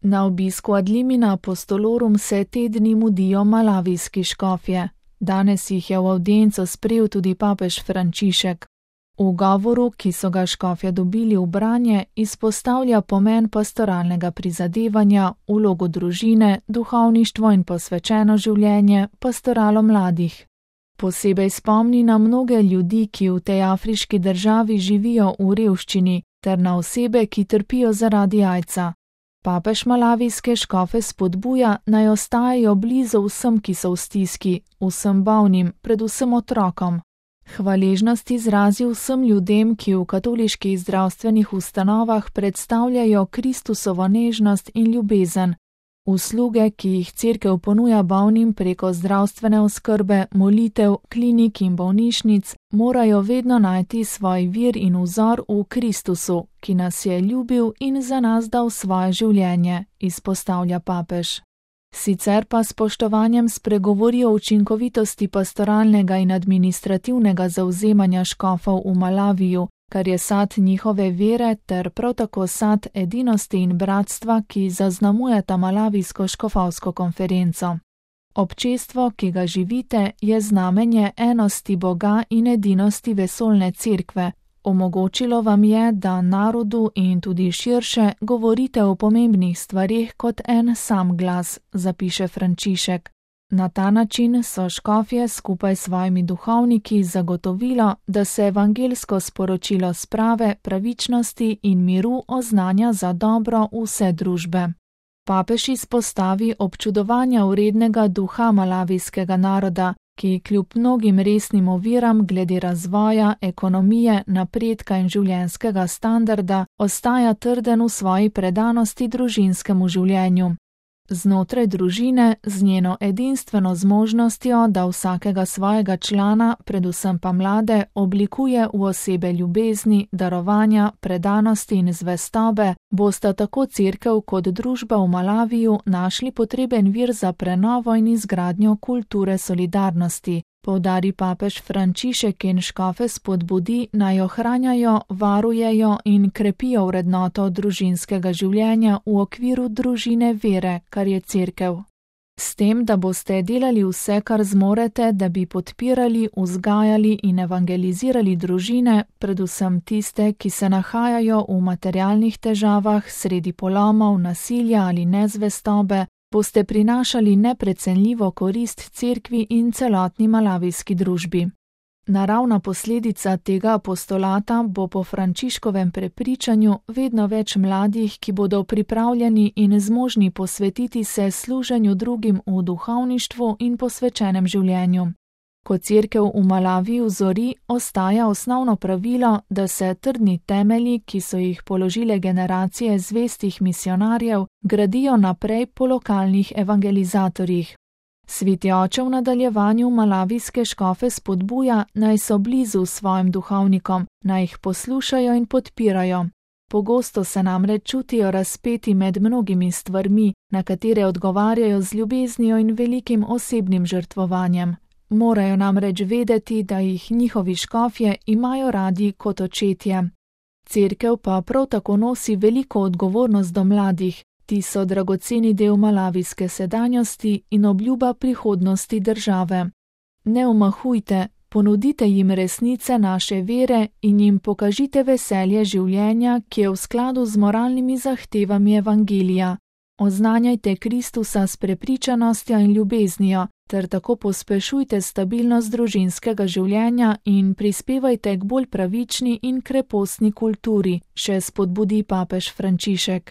Na obisku ad limina apostolorum se te dni mudijo malavijski škofje. Danes jih je v avdienco sprejel tudi papež Frančišek. V govoru, ki so ga škofje dobili v branje, izpostavlja pomen pastoralnega prizadevanja, vlogo družine, duhovništvo in posvečeno življenje, pastoralo mladih. Posebej spomni na mnoge ljudi, ki v tej afriški državi živijo v revščini, ter na osebe, ki trpijo zaradi AIDS-a. Papež malavijske škofe spodbuja, naj ostajajo blizu vsem, ki so v stiski, vsem bolnim, predvsem otrokom. Hvaležnost izrazi vsem ljudem, ki v katoliških zdravstvenih ustanovah predstavljajo Kristusovo nežnost in ljubezen. Usluge, ki jih Cerkev ponuja bolnim preko zdravstvene oskrbe, molitev, klinik in bolnišnic, morajo vedno najti svoj vir in vzor v Kristusu, ki nas je ljubil in za nas dal svoje življenje, izpostavlja papež. Sicer pa spoštovanjem spregovori o učinkovitosti pastoralnega in administrativnega zavzemanja škofov v Malaviju, kar je sad njihove vere ter prav tako sad edinosti in bratstva, ki zaznamujeta malavijsko škofovsko konferenco. Občestvo, ki ga živite, je znamenje enosti Boga in edinosti vesoljne cerkve. Omogočilo vam je, da narodu in tudi širše govorite o pomembnih stvareh kot en sam glas, zapiše Frančišek. Na ta način so škofje skupaj s svojimi duhovniki zagotovilo, da se evangelsko sporočilo sprave, pravičnosti in miru oznanja za dobro vse družbe. Papež izpostavi občudovanja vrednega duha malavijskega naroda, ki kljub mnogim resnim oviram glede razvoja, ekonomije, napredka in življenjskega standarda ostaja trden v svoji predanosti družinskemu življenju. Znotraj družine, z njeno edinstveno zmožnostjo, da vsakega svojega člana, predvsem pa mlade, oblikuje v osebe ljubezni, darovanja, predanosti in zvestobe, bosta tako cerkev kot družba v Malaviju našli potreben vir za prenovo in izgradnjo kulture solidarnosti. Poudari papež Frančišek in škofe spodbudi, naj ohranjajo, varujejo in krepijo vrednoto družinskega življenja v okviru družine vere, kar je cerkev. S tem, da boste delali vse, kar zmorete, da bi podpirali, vzgajali in evangelizirali družine, predvsem tiste, ki se nahajajo v materialnih težavah, sredi polomov, nasilja ali nezvestobe, boste prinašali neprecenljivo korist cerkvi in celotni malavijski družbi. Naravna posledica tega apostolata bo po Frančiškovem prepričanju vedno več mladih, ki bodo pripravljeni in zmožni posvetiti se služenju drugim v duhovništvu in posvečenem življenju. Ko cerkev v Malaviju zori, ostaja osnovno pravilo, da se trdni temelji, ki so jih položile generacije zvestih misionarjev, gradijo naprej po lokalnih evangelizatorjih. Sveti oče v nadaljevanju malavijske škofe spodbuja, naj so blizu svojim duhovnikom, naj jih poslušajo in podpirajo. Pogosto se namreč čutijo razpeti med mnogimi stvarmi, na katere odgovarjajo z ljubeznijo in velikim osebnim žrtvovanjem. Morajo namreč vedeti, da jih njihovi škofje imajo radi kot očetje. Cerkev pa prav tako nosi veliko odgovornost do mladih, ti so dragoceni del malavijske sedanjosti in obljuba prihodnosti države. Ne omahujte, ponudite jim resnice naše vere in jim pokažite veselje življenja, ki je v skladu z moralnimi zahtevami evangelija. Oznanjajte Kristusa s prepričanostjo in ljubeznijo, ter tako pospešujte stabilnost družinskega življenja in prispevajte k bolj pravični in krepostni kulturi, še spodbudi papež Frančišek.